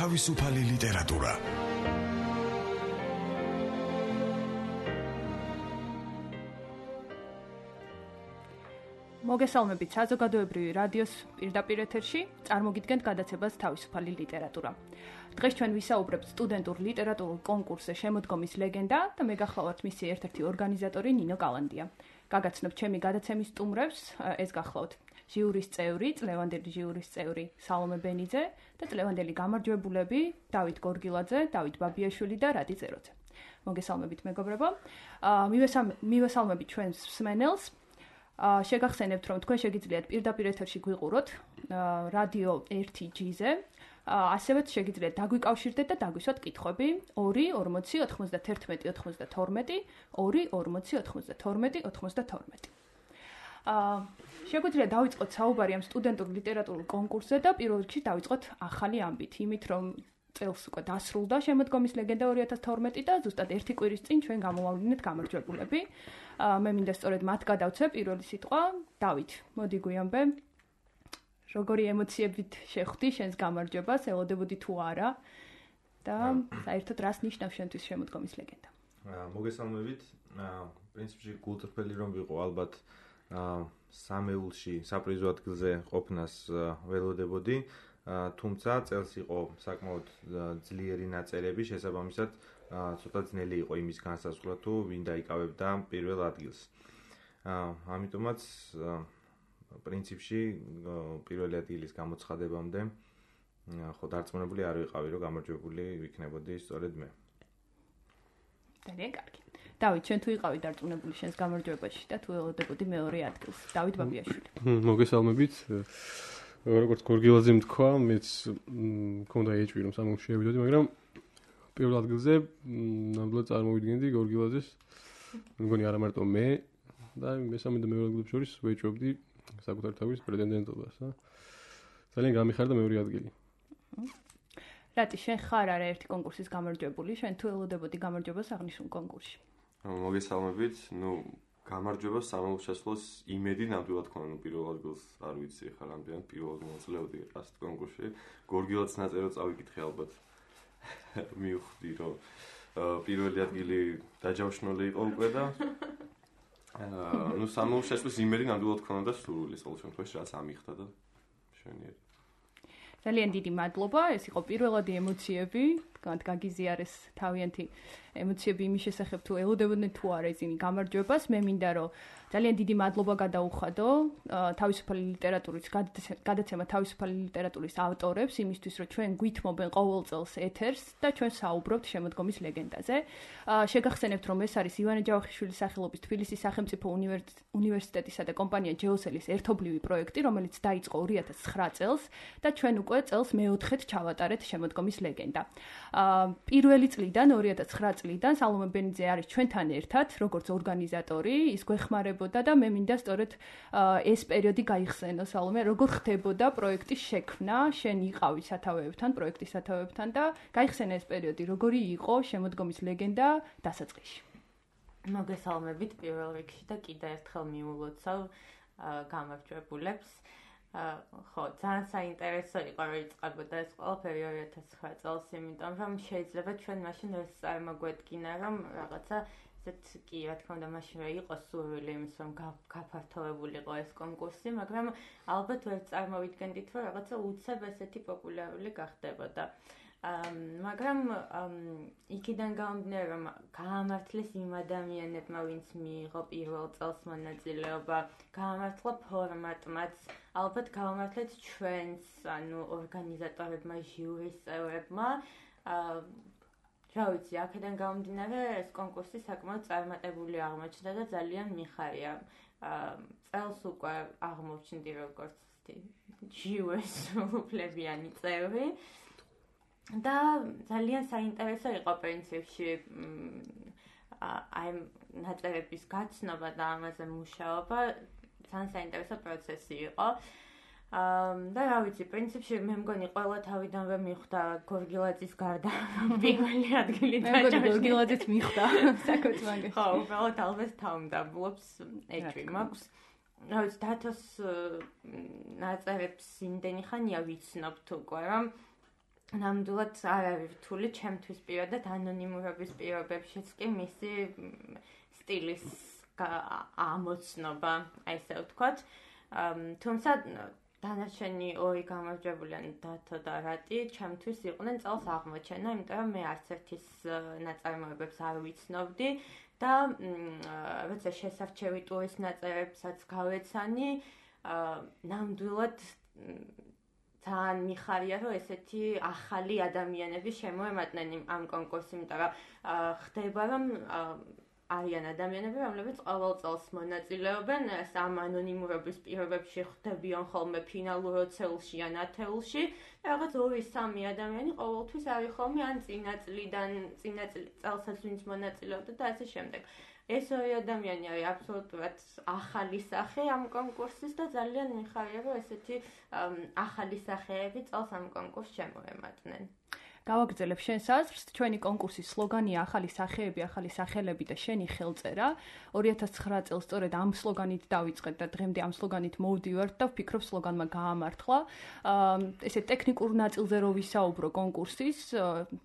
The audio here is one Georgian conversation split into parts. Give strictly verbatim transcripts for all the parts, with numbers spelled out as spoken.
თავისუფალი ლიტერატურა. მოგესალმებით საზოგადოებრივი რადიოს პირდაპირ ეთერში, წარმოგიდგენთ გადაცემას თავისუფალი ლიტერატურა. დღეს ჩვენ ვისაუბრებთ სტუდენტურ ლიტერატურულ კონკურსზე შემოდგომის ლეგენდა და მე გახლავართ მისი ერთ-ერთი ორგანიზატორი ნინო კალანდია. გაგაცნობთ ჩემი გადაცემის სტუმრებს, ეს გახლავთ ჟიურის წევრი, წლევანდელი ჟიურის წევრი სალომე ბენიძე და წლევანდელი გამარჯვებულები დავით გორგილაძე, დავით ბაბიაშვილი და რადი წეროძე. მოგესალმებით მეგობრებო. მივესალმებით ჩვენს მსმენელს. შეგახსენებთ, რომ თქვენ შეგიძლიათ პირდაპირ ეთერში გვიყუროთ რადიო ერთი ჯი-ზე, ასევე შეგიძლიათ დაგვიკავშირდეთ და დაგვისვათ კითხვები ორი ორმოცი ოთხმოცდათერთმეტი ოცდათორმეტი, ორი ორმოცი ოცდათორმეტი ოცდათორმეტი. შეგვიძლია დავიწყოთ საუბარი ამ სტუდენტურ ლიტერატურულ კონკურსზე და პირველ რიგში დავიწყოთ ახალი ამბით, იმით რომ წელს უკვე დასრულდა შემოდგომის ლეგენდა ორი ათას თორმეტი და ზუსტად ერთი კვირის წინ ჩვენ გამოვავლინეთ გამარჯვებულები. მე მინდა სწორედ მათ გადავცე პირველი სიტყვა. დავით, მოდი გვიამბე, როგორი ემოციებით შეხვდი შენს გამარჯვებას, ელოდებოდი თუ არა და საერთოდ რას ნიშნავს შენთვის შემოდგომის ლეგენდა? მოგესალმებით. პრინციპში გულწრფელი რომ ვიყო, ალბათ სამეულში საპრიზო ადგილზე ყოფნას ველოდებოდი. თუმცა წელს იყო საკმაოდ ძლიერი ნაწერები, შესაბამისად ცოტა ძნელი იყო იმის განსაზღვრა თუ ვინ დაიკავებდა პირველ ადგილს. ამიტომაც პრინციპში პირველი ადგილის გამოცხადებამდე ხო დარწმუნებული არ ვიყავი, რომ გამარჯვებული ვიქნებოდი სწორედ მე. ძალიან კარგი. დავით, ჩვენ თუ იყავი დარწმუნებული შენს გამარჯვებაში და თუ ელოდებოდი მეორე ადგილს. დავით ბაბიაშვილი. მოგესალმებით. როგორც გორგილაძემ თქვა, მეც მქონდა ეჭვი რომ სამეულში შევიდოდი, მაგრამ პირველ ადგილზე ნამდვილად წარმოვიდგენდი გორგილაძეს. მგონი არა მარტო მე და მესამე და მეორე ადგილებს შორის ვეჭვობდი საკუთარ თავის პრეტენდენტობას. ძალიან გამიხარდა მეორე ადგილი. რატი, შენ ხარ არა ერთი კონკურსის გამარჯვებული, შენ თუ ელოდებოდი გამარჯვებას აღნიშნულ კონკურსში? მოგესალმებით. ნუ გამარჯვებას სამეულს შესვლას იმედი ნამდვილად ქონა, ნუ პირველ ადგილს არ ვიცი ხარ რამდენად პირველად მოძლევდი ასეთ კონკურსში. გორგილაძის ნაწერად წავიკითხე ალბათ. მივხვდი რომ პირველი ადგილი დაჯავშნული იყო უკვე და ნუ სამეულს შესვლის იმედი ნამდვილად ქონა და სურვილი ყოველ შემთხვევაში რაც ამიხდა და მშვენიერი. ძალიან დიდი მადლობა, ეს იყო პირველადი ემოციები, თქვათ გაგიზიარეს თავიანთი ემოციები იმის შესახებ თუ ელოდებოდნენ თუ არა ისინი გამარჯვებას. მე მინდა რომ ძალიან დიდი მადლობა გადაუხადო თავისუფალი ლიტერატურის გადაცემა თავისუფალი ლიტერატურის ავტორებს იმისთვის რომ ჩვენ გვითმობენ ყოველ წელს ეთერს და ჩვენ საუბრობთ შემოდგომის ლეგენდაზე. შეგახსენებთ რომ ეს არის ივანე ჯავახიშვილის სახელობის თბილისის სახელმწიფო უნივერსიტეტისა და კომპანია ჯეოსელის ერთობლივი პროექტი, რომელიც დაიწყო ორი ათას ცხრა წელს და ჩვენ უკვე წელს მეოთხედ ჩავატარეთ შემოდგომის ლეგენდა. პირველი წლიდან ორი ათას ცხრა წლიდან სალომე ბენიძე არის ჩვენთან ერთად როგორც ორგანიზატორი, ის გვეხმარებოდა და მე მინდა სწორედ ეს პერიოდი გაიხსენო სალომე, როგორ ხდებოდა პროექტის შექმნა, შენ იყავი სათავეებთან, პროექტის სათავეებთან და გაიხსენე ეს პერიოდი, როგორი იყო შემოდგომის ლეგენდა დასაწყისში. მოგესალმებით პირველ რიგში და კიდევ ერთხელ მიულოცავ გამარჯვებულებს. ხო, ძალიან საინტერესო იყო რომ იწყებოდა ეს ყველაფერი ორი ათას ცხრა წელს, იმიტომ რომ შეიძლება ჩვენ მაშინ ეს წარმოგვედგინა რომ რაღაცა ესეც კი რა თქმა უნდა მაშინ რა იყო სურვილი იმის რომ გაფართოვებულიყო ეს კონკურსი, მაგრამ ალბათ ვერ წარმოვიდგენდით რომ რაღაცა უცებ ესეთი პოპულარული გახდებოდა. მაგრამ იქიდან გამომდინარე რომ გაამართლეს იმ ადამიანებმა ვინც მიიღო პირველ წელს მონაწილეობა, გაამართლა ფორმატმაც, ალბათ გავამართლეთ ჩვენს ანუ ორგანიზატორებმა, ჟიურის წევრებმა. რა ვიცი, აქედან გამომდინარე ეს კონკურსი საკმაოდ წარმატებული აღმოჩნდა და ძალიან მიხარია. წელს უკვე აღმოჩნდი როგორც ჟიურის უფლებიანი წევრი. და ძალიან საინტერესო იყო პრინციპში აი ნაწერების გაცნობა და ამაზე მუშაობა, ძალიან საინტერესო პროცესი იყო. და რა ვიცი, პრინციპში მე მგონი ყველა თავიდანვე მიხვდა გორგილაძის გარდა პირველი ადგილი დაჭერა. მე გორგილაძის მიხვდა საკუთარ მაგაში. ხო, უბრალოდ ალბათ თავმდაბლობს ეჭვი მაქვს. რა ვიცი, დათოს ნაწერებს იმდენი ხანია ვიცნობთ უკვე, რომ ნამდვილად არ არის რთული ჩემთვის პირადად ანონიმურობის პირობებშიც კი მისი სტილის ამოცნობა, აი ესე ვთქვათ. თუმცა დანარჩენი ორი გამარჯვებულანი დათო და რატი ჩემთვის იყვნენ წელს აღმოჩენა, იმიტომ რომ მე არც ერთის ნაწარმოებებს არ ვიცნობდი და როცა შესარჩევი ტურის ნაწერებსაც გავეცანი, ნამდვილად ძალიან მიხარია, რომ ესეთი ახალი ადამიანები შემოემატნენ ამ კონკურსს, იმიტომ რომ ხდება, რომ არიან ადამიანები, რომლებიც ყოველ წელს მონაწილეობენ ამ ანონიმურობის პირობებში, ხდებიან ხოლმე ფინალურ ოცეულში ან ათეულში, რაღაც ორი სამი ადამიანი ყოველთვის არის ხოლმე ან წინა წლიდან, წინა წელსაც ვინც მონაწილეობდა და ასე შემდეგ. ეს ორი ადამიანი არის აბსოლუტურად ახალი სახე ამ კონკურსის და ძალიან მიხარია, რომ ესეთი ახალი სახეები წელს ამ კონკურსს შემოემატნენ. გავაგრძელებ შენს აზრს, ჩვენი კონკურსის სლოგანია ახალი სახეები, ახალი სახელები და შენი ხელწერა. ორი ათას ცხრა წელს სწორედ ამ სლოგანით დავიწყეთ და დღემდე ამ სლოგანით მოვდივართ და ვფიქრობ სლოგანმა გაამართლა. ესე ტექნიკურ ნაწილზე რო ვისაუბრო კონკურსის,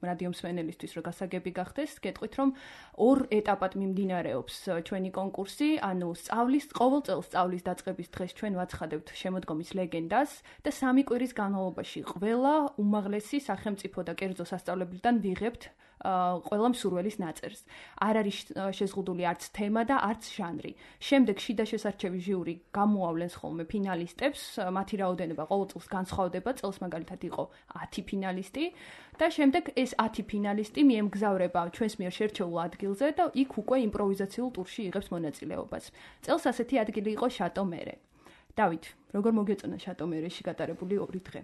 რადიო მსმენელისთვის რო გასაგები გახდეს, გეტყვით რომ ორ ეტაპად მიმდინარეობს ჩვენი კონკურსი, ანუ სწავლის, ყოველ წელს სწავლის დაწყების დღეს ჩვენ ვაცხადებთ შემოდგომის ლეგენდას და სამი კვირის განმავლობაში ყველა უმაღლესი სახელმწიფო და კერძო სასწავლებლიდან ვიღებთ ყველა მსურველის ნაწერს. არ არის შეზღუდული არც თემა და არც ჟანრი. შემდეგ შიდა შესარჩევი ჟიური გამოავლენს ხოლმე ფინალისტებს, მათი რაოდენობა ყოველ წელს განსხვავდება, წელს მაგალითად იყო ათი ფინალისტი და შემდეგ ეს ათი ფინალისტი მიემგზავრება ჩვენს მიერ შერჩეულ ადგილზე და იქ უკვე იმპროვიზაციულ ტურში იღებს მონაწილეობას. წელს ასეთი ადგილი იყო შატო მერე. დავით, როგორ მოგეწონა შატო მერეში გატარებული ორი დღე?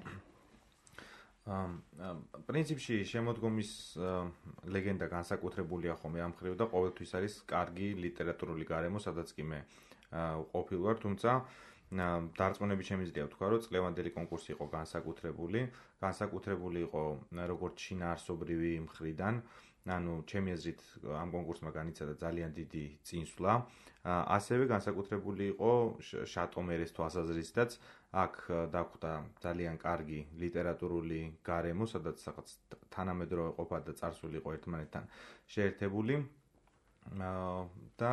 პრინციპში შემოდგომის ლეგენდა განსაკუთრებულია ხოლმე ამ მხრივ და ყოველთვის არის კარგი ლიტერატურული გარემო, სადაც კი მე ყოფილ ვარ, თუმცა დარწმუნებით შემიძლია ვთქვა, რომ წლევანდელი კონკურსი იყო განსაკუთრებული, განსაკუთრებული იყო როგორც შინაარსობრივი მხრიდან, ანუ ჩემი აზრით ამ კონკურსმა განიცადა ძალიან დიდი წინსვლა, ასევე განსაკუთრებული იყო შატო მერეს თვალსაზრისითაც, აქ დაგვხვდა ძალიან კარგი ლიტერატურული გარემო, სადაც რაღაც თანამედროვე ყოფა და წარსული იყო ერთმანეთთან შეერთებული და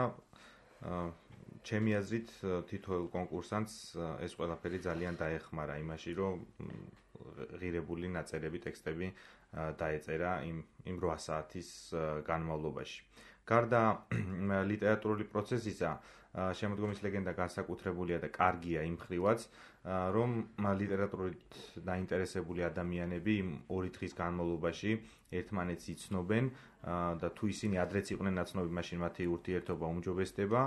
ჩემი აზრით თითოეულ კონკურსანტს ეს ყველაფერი ძალიან დაეხმარა იმაში, რომ ღირებული ნაწერები, ტექსტები დაეწერა იმ იმ რვა საათის განმავლობაში. გარდა ლიტერატურული პროცესისა, შემოდგომის ლეგენდა განსაკუთრებულია და კარგია იმ მხრივაც, რომ ლიტერატურით დაინტერესებული ადამიანები ორი დღის განმავლობაში ერთმანეთს იცნობენ და თუ ისინი ადრეც იყვნენ ნაცნობი, მაშინ მათი ურთიერთობა უმჯობესდება.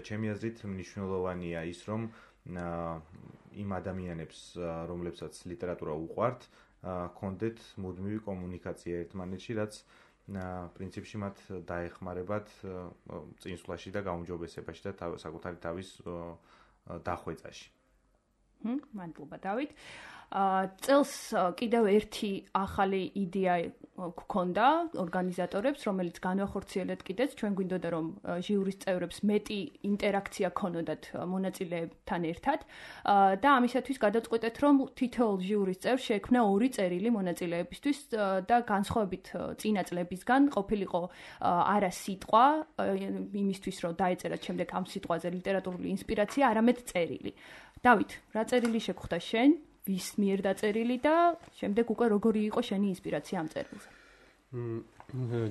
ჩემი აზრით მნიშვნელოვანია ის, რომ იმ ადამიანებს, რომლებსაც ლიტერატურა უყვართ, ჰქონდეთ მუდმივი კომუნიკაცია ერთმანეთში, რაც პრინციპში მათ დაეხმარებათ წინსვლაში და გაუმჯობესებაში და საკუთარი თავის დახვეწაში. მადლობა დავით. წელს კიდევ ერთი ახალი იდეა გქონდა ორგანიზატორებს, რომელიც განვახორციელეთ კიდეც, ჩვენ გვინდოდა რომ ჟიურის წევრებს მეტი ინტერაქცია ქონოდათ მონაწილეებთან ერთად და ამისათვის გადაწყვეტეთ, რომ თითოეულ ჟიურის წევრს შეექმნა ორი წერილი მონაწილეებისთვის და განსხვავებით წინა წლებისგან ყოფილიყო არა სიტყვა იმისთვის, რომ დაეწერათ შემდეგ ამ სიტყვაზე ლიტერატურული ინსპირაცია, არამედ წერილი. დავით, რა წერილი შეგხვდა შენ? ვის მიერ დაწერილი და შემდეგ უკვე როგორი იყო შენი ინსპირაცია ამ წერილზე?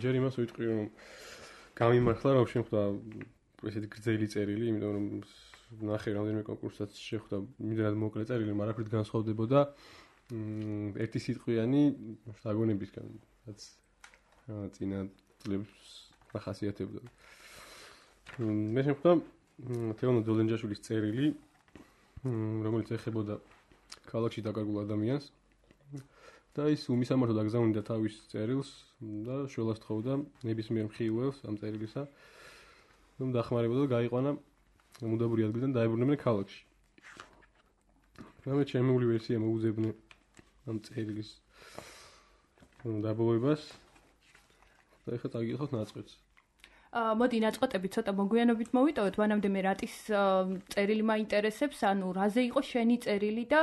ჯერ იმას ვიტყვი, რომ გამიმართლა, რომ შეხვდა ესეთი გრძელი წერილი, იმიტომ რომ ნახე რამდენიმე კონკურსსაც შეხვდა იმდენად მოკლე წერილი, მაგრამ აქეთ განსხვავდებოდა ერთი სიტყვიანი შთაგონებისგან, რაც წინა წლებს ახასიათებდა. მე შეხვდა თეონო ძოლენჯაშვილის წერილი, რომელიც ეხებოდა ქალაქში დაკარგულ ადამიანს და ის უმისამართოდ აგზავნიდა თავის წერილს და შველას თხოვდა ნებისმიერ მხიუელს ამ წერილისა, რომ დახმარებოდა და გაიყვანა მუდაბური ადგილიდან დაებრუნებინა ქალაქში. მე ჩემი ვერსია მოუძებნე ამ წერილის დაბოლოებას და ეხლა წაგიხოთ ნაწყვეტს. მოდი ნაწყვეტები ცოტა მოგვიანებით მოვიტოვოთ, მანამდე მე რატის წერილი მაინტერესებს, ანუ რაზე იყო შენი წერილი და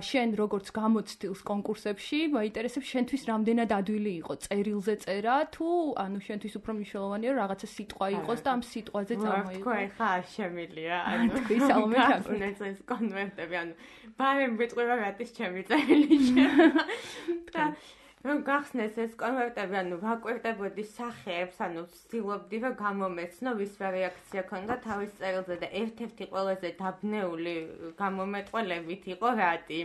შენ როგორც გამოცდილს კონკურსებში, მაინტერესებს შენთვის რამდენად ადვილი იყო წერილზე წერა თუ ანუ შენთვის უფრო მნიშვნელოვანია რომ რაღაცა სიტყვა იყოს და ამ სიტყვაზე წარმოიღო. თქვა ხა არ შემილია, ანუ თქვი სალომე ჩაგვეცეს ეს კონვერტები, ანუ ბარემ ვიტყვება რატის ჩემი წერილი შევა. და რომ გახსნეს ეს კონვერტები, ანუ ვაკვირდებოდი სახეებს, ანუ ვცდილობდი რომ გამომეცნო ვის რა რეაქცია ქონდა თავის წერილზე და ერთ-ერთი ყველაზე დაბნეული გამომეტყველებით იყო რატი.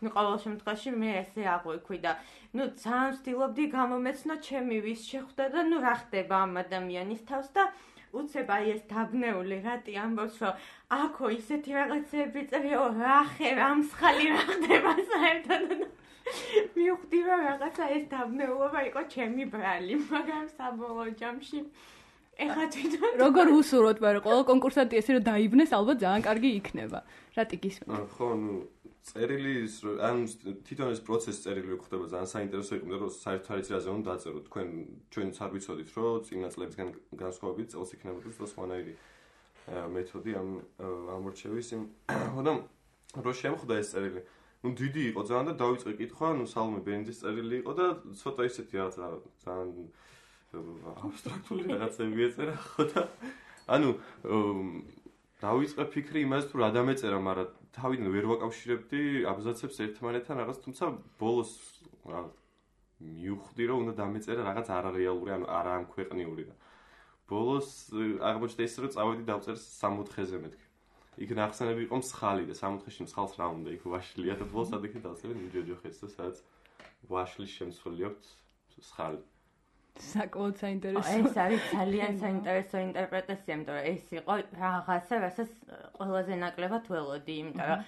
ნუ ყოველ შემთხვევაში მე ესე აღვიქვი და ნუ ძალიან ვცდილობდი გამომეცნო ჩემი ვის შეხვდა და ნუ რა ხდება ამ ადამიანის თავს და უცებ აი ეს დაბნეული რატი ამბობს რომ აქო ისეთი რაღაცები წერიო რა ხე რამსხალი რა ხდება საერთოდ მივხვდი რომ რაღაცა ეს დაბნეულობა იყო ჩემი ბრალი, მაგრამ საბოლოო ჯამში ეხლა თვითონ როგორ უსურვოთ, მაგრამ ყველა კონკურსანტი ესე რომ დაიბნეს, ალბათ ძალიან კარგი იქნება. რატი გისმენთ? ხო, ნუ წერილის ან თვითონ ეს პროცესი წერილი ხდება ძალიან საინტერესო იყო, რომ საერთოდ არის რაზე უნდა დაწეროთ. თქვენ ჩვენც არ ვიცოდით, რომ წინა წლებისგან განსხვავებით წელს იქნებოდა და სხვანაირი მეთოდი ამ ამორჩევის იმ ხოდა რო შემხვდა ეს წერილი ნუ დიდი იყო ძალიან და დავიწყე კითხვა, ნუ სალომე ბენძის წერილი იყო და ცოტა ისეთი რაღაცა ძალიან აბსტრაქტული რაღაცები ეწერა, ხო და ანუ დავიწყე ფიქრი იმაზე თუ რა დამეწერა, მაგრამ თავიდან ვერ ვაკავშირებდი აბზაცებს ერთმანეთთან რაღაც, თუმცა ბოლოს მივხვდი რომ უნდა დამეწერა რაღაც არარეალური, ანუ არა ამ ქვეყნიური და ბოლოს აღმოჩნდა ის რომ წავედი დავწერს სამოთხეზე მეთქი. იქ ნახსენები იყო მსხალი და სამოთხეში მსხალს რა უნდა იქ ვაშლია და ბოლოს ადიქე დავწერე ნიჯოჯოხეთს და სადაც ვაშლის შემცველი აქვს მსხალი. საკმაოდ საინტერესო. ეს არის ძალიან საინტერესო ინტერპრეტაცია, იმიტომ რომ ეს იყო რაღაცა, რასაც ყველაზე ნაკლებად ველოდი, იმიტომ რომ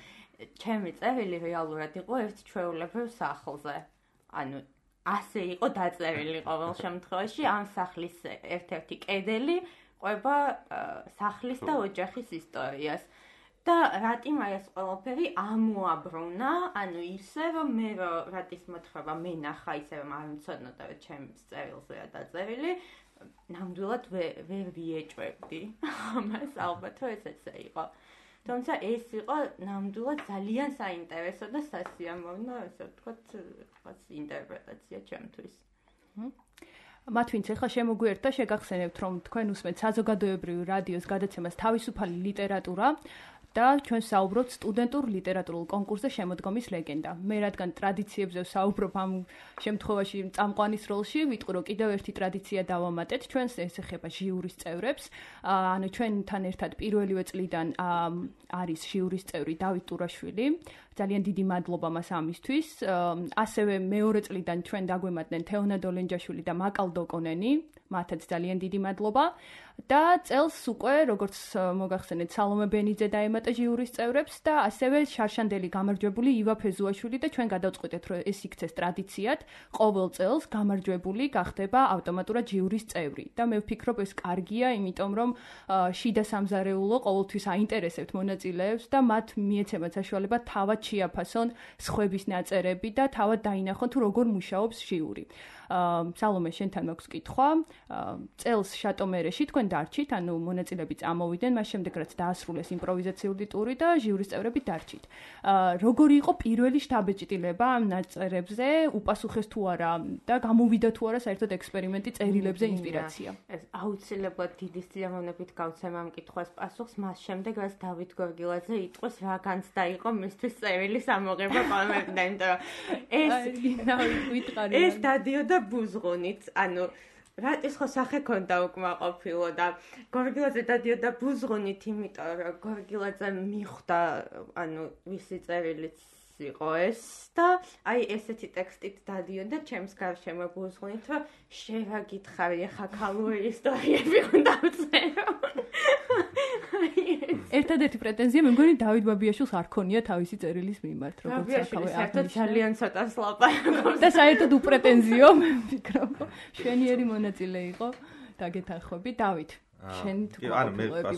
ჩემი წერილი რეალურად იყო ერთ ჩვეულებრივ სახლზე. ანუ ასე იყო დაწერილი ყოველ შემთხვევაში ამ სახლის ერთ-ერთი კედელი ყვება სახლის და ოჯახის ისტორიას. და რატიმ აი ეს ყველაფერი ამოაბრუნა, ანუ ისე რომ მე რატის მოთხრობა მე ნახა ისე რომ არ მცოდნოდა რომ ჩემს წერილზეა დაწერილი, ნამდვილად ვერ ვიეჭვებდი ამას, ალბათ რომ ეს ესე იყო. თუმცა ეს იყო ნამდვილად ძალიან საინტერესო და სასიამოვნო, ესე ვთქვათ, რაღაც ინტერპრეტაცია ჩემთვის. მათ ვინც ახლა შემოგვიერთდა, შეგახსენებთ, რომ თქვენ უსმენთ საზოგადოებრივი რადიოს გადაცემას თავისუფალი ლიტერატურა და ჩვენ საუბრობთ სტუდენტურ ლიტერატურულ კონკურსზე შემოდგომის ლეგენდა. მე რადგან ტრადიციებზე ვსაუბრობ ამ შემთხვევაში წამყვანის როლში, ვიტყვი რომ კიდევ ერთი ტრადიცია დავამატეთ, ჩვენს ეს ეხება ჟიურის წევრებს. ანუ ჩვენთან ერთად პირველივე წლიდან არის ჟიურის წევრი დავით ტურაშვილი. ძალიან დიდი მადლობა მას ამისთვის. ასევე მეორე წლიდან ჩვენ დაგვემატნენ თეონა დოლენჯაშვილი და მაკალ დოკონენი. მათაც ძალიან დიდი მადლობა. და წელს უკვე როგორც მოგახსენეთ სალომე ბენიძე დაემატა ჟიურის წევრებს და ასევე შარშანდელი გამარჯვებული ივა ფეზუაშვილი და ჩვენ გადავწყვიტეთ რომ ეს იქცეს ტრადიციად ყოველ წელს გამარჯვებული გახდება ავტომატურად ჟიურის წევრი და მე ვფიქრობ ეს კარგია, იმიტომ რომ შიდა სამზარეულო ყოველთვის აინტერესებთ მონაწილეებს და მათ მიეცემათ საშუალება თავად შეაფასონ სხვების ნაწერები და თავად დაინახონ თუ როგორ მუშაობს ჟიური. სალომე შენთან მაქვს კითხვა. წელს შატომერეში თქვენ დარჩით, ანუ მონაწილეები წამოვიდნენ, მას შემდეგ რაც დაასრულეს იმპროვიზაციული ტური და ჟიურის წევრები დარჩით. როგორი იყო პირველი შთაბეჭდილება ამ ნაწერებზე, უპასუხეს თუ არა და გამოვიდა თუ არა საერთოდ ექსპერიმენტი წერილებზე ინსპირაცია? ეს აუცილებლად დიდი სიამოვნებით გავცემ ამ კითხვას პასუხს, მას შემდეგ რაც დავით გორგილაძე იტყვის რა განცდა იყო მისთვის წერილის ამოღება პალმერიდან, იმიტომ რომ ეს ეს დადიოდა ბუზღუნით, ანუ რატის ხო სახე ქონდა უკმაყოფილო და გორგილაძე დადიოდა ბუზღუნით, იმიტომ რომ გორგილაძე მიხვდა, ანუ ვისი წერილიც იყო ეს და აი ესეთი ტექსტით დადიოდა ჩემს გარშემო ბუზღუნით, რომ შევა გითხარი ახლა ქალური ისტორიები უნდა ვწერო. ერთადერთი პრეტენზია მე მგონი დავით ბაბიაშვილს არ ქონია თავისი წერილის მიმართ, როგორც ახლა საერთოდ ძალიან ცოტას ლაპარაკობს და საერთოდ უპრეტენზიო მე ვფიქრობ, შვენიერი მონაწილე იყო დაგეთანხმები. დავით, შენ თუ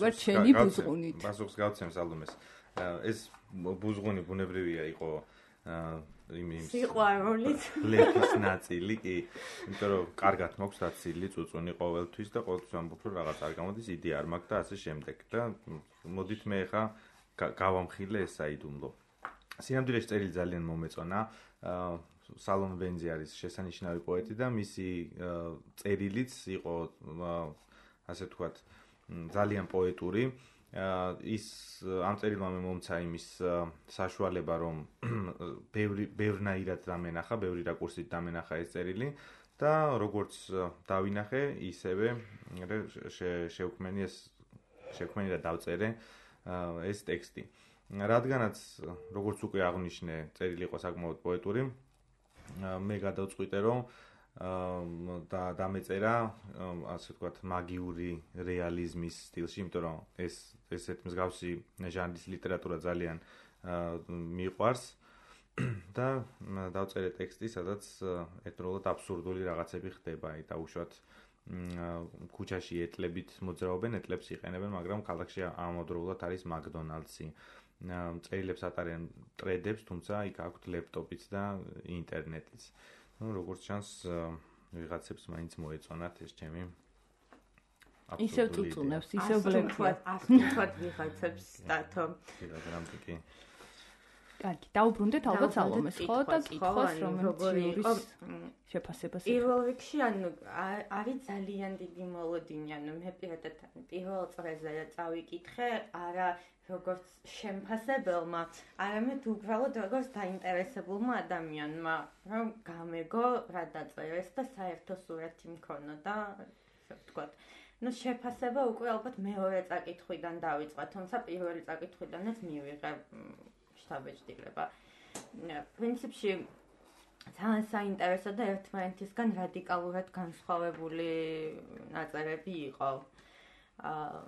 ვარ შენი ბუზღუნით. პასუხს გავცემ სალომეს. ეს ბუზღუნი ბუნებრივია იყო იმ სიყვარულით ლექის ნაწილი კი, იმიტომ რომ კარგად მაქვს დაცილი წუწუნი ყოველთვის და ყოველთვის ამბობ რომ რაღაც არ გამოდის, იდი არ მაქვს და ასე შემდეგ და მოდით მე ხა გავამხილე ეს საიდუმლო. სინამდვილეში წერილი ძალიან მომეწონა. სალომ ვენზი არის შესანიშნავი პოეტი და მისი წერილიც იყო ასე ვთქვათ ძალიან პოეტური. ის ამ წერილმა მე მომცა იმის საშუალება რომ ბევრი ბევრნაირად დამენახა, ბევრი რაკურსით დამენახა ეს წერილი და როგორც დავინახე, ისევე შევქმენი ეს შევქმენი და დავწერე ეს ტექსტი. რადგანაც როგორც უკვე აღნიშნე, წერილი იყო საკმაოდ პოეტური, მე გადავწყვიტე რომ და დამეწერა ასე ვთქვათ მაგიური რეალიზმის სტილში, იმიტომ რომ ეს ესეთ მსგავსი ჟანრის ლიტერატურა ძალიან მიყვარს და დავწერე ტექსტი, სადაც ერთდროულად აბსურდული რაღაცები ხდება, და უშუალოდ ქუჩაში ეტლებით მოძრაობენ, ეტლებს იყენებენ, მაგრამ ქალაქში ამავდროულად არის მაკდონალდსი. წერილებს ატარენ ტრედებს, თუმცა იქ აქვთ ლეპტოპიც და ინტერნეტიც. ну, როგორც ჩანს, ვიღაცებს მაინც მოეწონათ ეს ჩემი ისევ წუწუნებს, ისევ ბლექს. ასე ვთქვათ, ვიღაცებს დათო. კი. კარგი, დაუბრუნდეთ ალბათ სალომეს, ხო და კითხოს, რომელიც შეფასებას. პირველ რიგში, ანუ არის ძალიან დიდი მოლოდინი, ანუ მე პირადად პირველ წრეზე წავიკითხე, არა როგორც შემფასებელმა, არამედ უბრალოდ როგორც დაინტერესებულმა ადამიანმა, რომ გამეგო რა დაწერეს და საერთო სურათი მქონოდა და ასე ვთქვათ. ну შეფასება უკვე ალბათ მეორე წაკითხვიდან დავიწყე, თუმცა პირველი წაკითხვიდანაც მივიღე შთაბეჭდილება. პრინციპში ძალიან საინტერესო და ერთმანეთისგან რადიკალურად განსხვავებული ნაწერები იყო. აა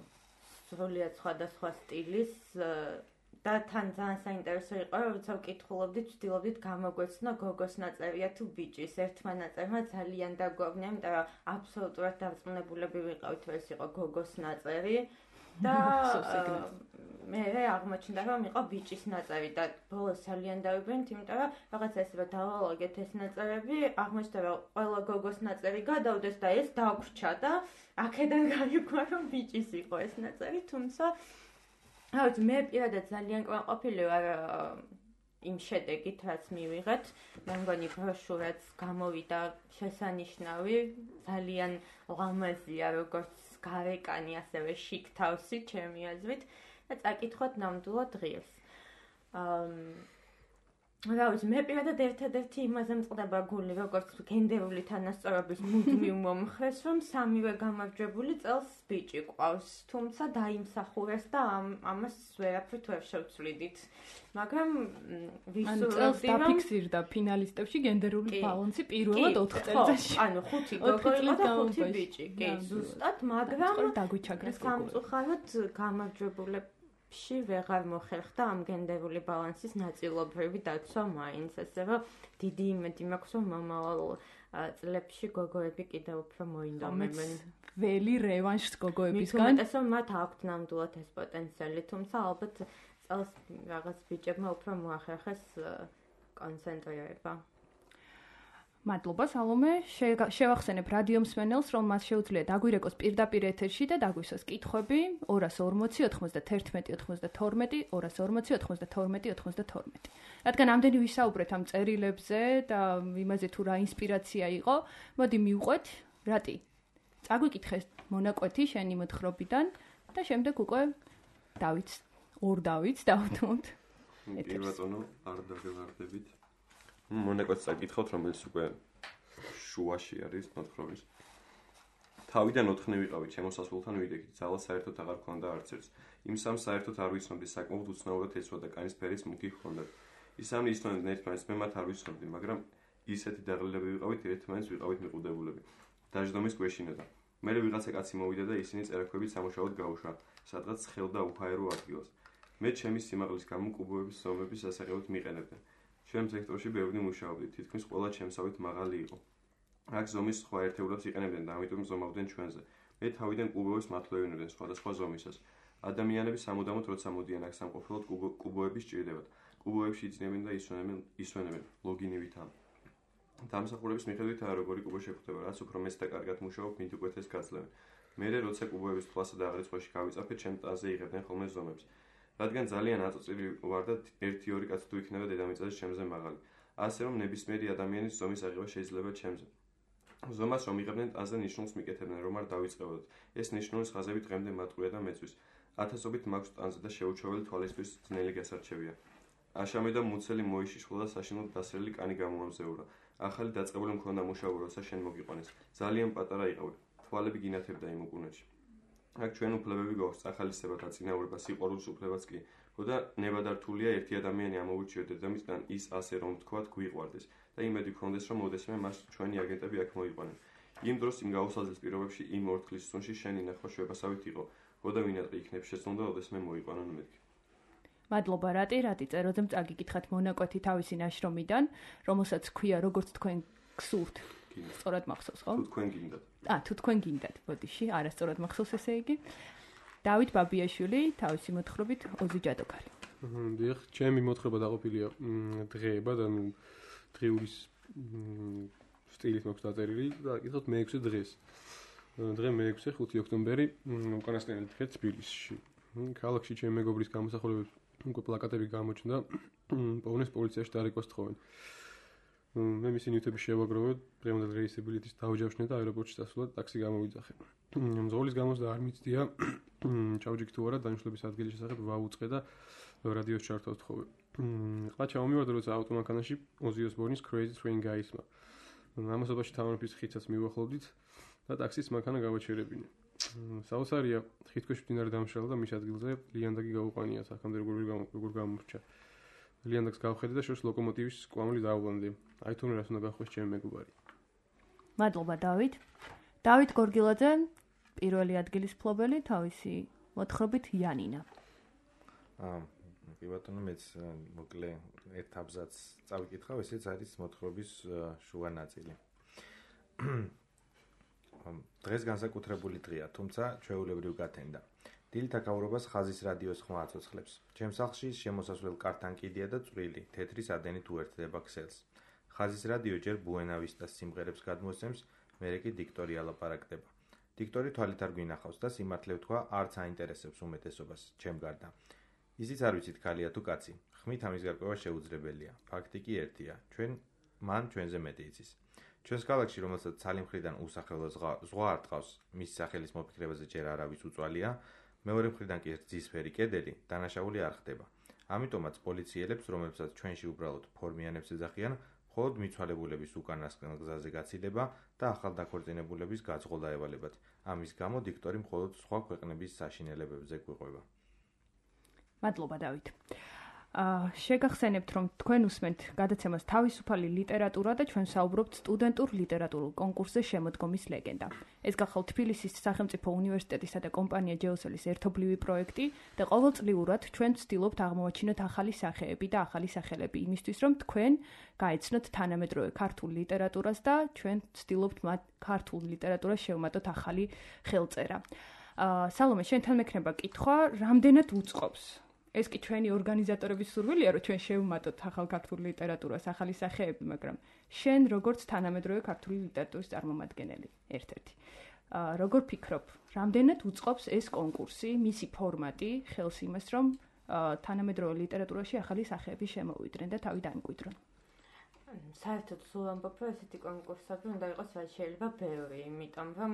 სრულიად სხვადასხვა სტილის და თან ძალიან საინტერესო იყო, რომ როცა ვკითხულობდით, ვცდილობდით გამოგვეცნო გოგოს ნაწერია თუ ბიჭის. ერთმა ნაწერმა ძალიან დაგვავნია, იმიტომ რომ აბსოლუტურად დარწმუნებულები ვიყავით, რომ ეს იყო გოგოს ნაწერი და მე აღმოჩნდა, რომ იყო ბიჭის ნაწერი და ბოლოს ძალიან დავიბრუნეთ, იმიტომ რომ რაღაც ესე დავალაგეთ ეს ნაწერები, აღმოჩნდა, რომ ყველა გოგოს ნაწერი გადავდეს და ეს დაგვრჩა და აქედან გაიგო, რომ ბიჭის იყო ეს ნაწერი, თუმცა რაც მე პირადად ძალიან კმაყოფილი ვარ იმ შედეგით, რაც მივიღეთ. მე მგონი ბროშურაც გამოვიდა შესანიშნავი, ძალიან ლამაზია, როგორც გარეკანი, ასევე შიკ თავსი, ჩემი აზრით. და წაკითხოთ ნამდვილად ღირს. რა ვიცი, მე პირადად ერთადერთი იმაზე მწყდება გული, როგორც გენდერული თანასწორობის მუდმივ მომხრეს, რომ სამივე გამარჯვებული წელს ბიჭი ყავს, თუმცა დაიმსახურეს და ამას ვერაფრით ვერ შევცვლიდით. მაგრამ ვისურვებდი, რომ დაფიქსირდა ფინალისტებში გენდერული ბალანსი პირველად ოთხ წელიწადში. ანუ ხუთი გოგო იყო და ხუთი ბიჭი. კი, ზუსტად, მაგრამ დაგვიჩაგრეს სამწუხაროდ გამარჯვებულები ში ვეღარ მოხერხდა ამ გენდერული ბალანსის ნაწილობრივი დაცვა მაინც, ასე რომ დიდი იმედი მაქვს, რომ მომავალ წლებში გოგოები კიდევ უფრო მოინდომებენ. ველი რევანშს გოგოებისგან. მით უმეტეს, რომ მათ აქვთ ნამდვილად ეს პოტენციალი, თუმცა ალბათ წელს რაღაც ბიჭებმა უფრო მოახერხეს კონცენტრირება. მადლობა სალომე, შევახსენებ რადიო მსმენელს, რომ მას შეუძლია დაგვირეკოს პირდაპირ ეთერში და დაგვისვას კითხვები ორას ორმოცი ოცდაათი ოცდათორმეტი ორას ორმოცი ოცდათორმეტი ოცდათორმეტი. რადგან ამდენი ვისაუბრეთ ამ წერილებზე და იმაზე თუ რა ინსპირაცია იყო, მოდი მივყვეთ, რატი. წაგვიკითხე მონაკვეთი შენი მოთხრობიდან და შემდეგ უკვე დავით ორ დავითს დავთმოთ. პირველწონო არ დაგევარდებით. მონაკვეთს წაკითხოთ, რომელიც უკვე შუაში არის მოთხრობის. თავიდან ოთხნი ვიყავით, შემოსასვლელთან ვიდექით, ძალა საერთოდ აღარ ქონდა არც ერთს. იმ სამ საერთოდ არ ვიცნობდი, საკმაოდ უცნაურად ეცვა და კანის ფერის მუქი ჰქონდათ. ის სამი ისნოდნენ ერთმანეთს, მე მათ არ ვიცნობდი, მაგრამ ისეთი დაღლილები ვიყავით, ერთმანეთს ვიყავით მიყუდებულები. დაждდომის გვეშინოდა. მერე ვიღაცა კაცი მოვიდა და ისინი წერაქვებით სამუშაოდ გაუშვა, სადღაც ცხელ და უჰაერო ადგილას. მე ჩემი სიმაღლის გამო კუბოების ზომების სასახელოდ მიყენებდნენ. ჩემ სექტორში ბევრი მუშაობდი, თითქმის ყველა ჩემსავით მაღალი იყო. აქ ზომის სხვა ერთეულებს იყენებდნენ და ამიტომ ზომავდნენ ჩვენზე. მე თავიდან კუბოებს მათლევინებდნენ სხვადასხვა ზომისას. ადამიანები სამუდამოდ როცა მოდიან აქ სამყოფლოდ კუბოები სჭირდებათ. კუბოებში იძინებენ და ისვენებენ ისვენებენ ლოგინივით ამ დამსახურების მიხედვით როგორი კუბო შეგვხვდება, რაც უფრო მეც და კარგად მუშაობ, მით უკეთეს გაძლევენ. მერე როცა კუბოების თვალსა და აღრიცხვაში გავიწაფეთ, ჩემ ტანზე იღებდნენ ხოლმე ზომებს. რადგან ძალიან აწოწილი ვარ და ერთი ორი კაცი თუ იქნება დედამიწაზე ჩემზე მაღალი. ასე რომ ნებისმიერი ადამიანის ზომის აღება შეიძლება ჩემზე. ზომას რომ იღებდნენ ტანზე ნიშნულს მიკეთებდნენ, რომ არ დავიწყებოდოთ. ეს ნიშნულის ხაზები დღემდე მატყურია და მეწვის. ათასობით მაქვს ტანზე და შეუჩვეველი თვალისთვის ძნელი გასარჩევია. აშამე და მუცელი მოიშიშხლა და საშინლად დასრელი კანი გამოამზეურა. ახალი დაწყებული მქონდა მუშაობა, როცა შენ მოგიყვანეს. ძალიან პატარა იყავი. თვალები გინათებდა იმ უკუნეთში. აქ ჩვენ უფლებები გვაქვს, ახალისება და წინაურება, სიყვარულის უფლებაც კი. ხოდა ნებადართულია ერთი ადამიანი ამოვირჩიოთ დედამიწიდან ის ასე რომ ვთქვათ გვიყვარდეს და იმედი გქონდეს რომ მოდესმე მას ჩვენი აგენტები აქ მოიყვანენ. იმ დროს იმ გაუსაზრდელ პირობებში იმ ორთქლის სუნში შენი ნახვა შვებასავით იყო. ხოდა ვინატრი იქნებ შეცდომდა ოდესმე მოიყვანონ მეთქი. მადლობა რატი, რატი წეროძემ წაგიკითხათ მონაკვეთი თავისი ნაშრომიდან, რომელსაც ქვია როგორც თქვენ გსურთ. სწორად მახსოვს, ხო? თუ თქვენ გინდათ. ა, თუ თქვენ გინდათ, ბოდიში, არასწორად მახსოვს ესე იგი. დავით ბაბიაშვილი, თავისი მოთხრობით ოზი ჯადოქარი. დიახ, ჩემი მოთხრობა დაყოფილია დღეებად, ანუ დღეულის სტილით მაქვს დაწერილი და კითხოთ მეექვსე დღეს. დღე მეექვსე, ხუთი ოქტომბერი, უკანასკნელი დღე თბილისში. ქალაქში ჩემი მეგობრის გამოსახულებებს უკვე პლაკატები გამოჩნდა, პოვნეს პოლიციაში დარეკვა სთხოვენ. მე მისი ნივთები შევაგროვე, დღევანდელ რეისის ბილეთის დავჯავშნე და აეროპორტში დასვლად ტაქსი გამოვიძახე. მძღოლის გამოსდა არ მიცდია, ჩავჯიქ თუ არა, დანიშნულების ადგილის შესახებ ვაუწყე და რადიოს ჩართვა ვთხოვე. ყლა ჩამომივარდა, როცა ავტომანქანაში ოზი ოსბორნის Crazy Train გაისმა. ამასობაში თამარფის ხიცაც მივახლოვდით და ტაქსის მანქანა გავაჩერებინე. საოცარია, ხითქვეშ მდინარე დამშრალა და მის ადგილზე ლიანდაგი გაუყანია, აქამდე როგორ გამორჩა. ლიანდაგს გავხედე და შორს ლოკომოტივის კვამლი დაუვლანდე. აი თუნე რას უნდა გახვეს ჩემი მეგობარი. მადლობა დავით. დავით გორგილაძე, პირველი ადგილის მფლობელი, თავისი მოთხრობით იანინა. აა, კი ბატონო, მეც მოკლე ერთ აბზაცს წავიკითხავ, ესეც არის მოთხრობის შუა ნაწილი. დღეს განსაკუთრებული დღეა, თუმცა ჩვეულებრივ გათენდა. დილით აკავრობას ხაზის რადიოს ხმა აცოცხლებს. ჩემს სახლში შემოსასვლელ კართან კიდია და წვრილი, თეთრი სადენით უერთდება ქსელს. ხაზის რადიო ჯერ ბუენავისტას სიმღერებს გადმოსცემს, მერე კი დიქტორი ალაპარაკდება. დიქტორი თვალით არ გვინახავს და სიმართლე ვთქვა, არც აინტერესებს უმეტესობას, ჩემ გარდა. ისიც არ ვიცით ქალია თუ კაცი. ხმით ამის გარკვევა შეუძლებელია. ფაქტი კი ერთია, ჩვენ მან ჩვენზე მეტი იცის. ჩვენს ქალაქში, რომელსაც ცალი მხრიდან უსახელო ზღვა არ ტყავს, მის სახელის მოფიქრებაზე ჯერ არავის უწვალია, მეორე მხრიდან კი რძისფერი კედელი დანაშაული არ ხდება. ამიტომაც პოლიციელებს, რომლებსაც ჩვენში უბრალოდ ფორმიანებს ეძახიან, მხოლოდ მიცვალებულების უკანასკნელ გზაზე გაცილება და ახალ დაქორწინებულების გაძღოლ დაევალებათ. ამის გამო დიქტორი მხოლოდ სხვა ქვეყნების საშინელებებზე გვიყვება. მადლობა დავით. აა შეგახსენებთ, რომ თქვენ უსმენთ გადაცემას თავისუფალი ლიტერატურა და ჩვენ საუბრობთ სტუდენტურ ლიტერატურულ კონკურსზე შემოდგომის ლეგენდა. ეს გახალ თბილისის სახელმწიფო უნივერსიტეტისა და კომპანია ჯეოსელის ერთობლივი პროექტი და ყოველწლიურად ჩვენ ვცდილობთ აღმოვაჩინოთ ახალი სახეები და ახალი სახელები იმისთვის, რომ თქვენ გაეცნოთ თანამედროვე ქართულ ლიტერატურას და ჩვენ ვცდილობთ მათ ქართულ ლიტერატურას შევმატოთ ახალი ხელწერა. აა სალომე, შენთან მექნება კითხვა, რამდენად უწყობს? ეს კი ჩვენი ორგანიზატორების სურვილია, რომ ჩვენ შევმატოთ ახალ ქართულ ლიტერატურას, ახალი სახეები, მაგრამ შენ როგორც თანამედროვე ქართული ლიტერატურის წარმომადგენელი, ერთ-ერთი. აა როგორ ფიქრობ, რამდენად უწყობს ეს კონკურსი, მისი ფორმატი, ხელს იმას, რომ თანამედროვე ლიტერატურაში ახალი სახეები შემოვიდნენ და თავი დაიმკვიდრონ? საერთოდ სულ ამბობ, რომ ესეთი კონკურსები უნდა იყოს რაც შეიძლება ბევრი, იმიტომ რომ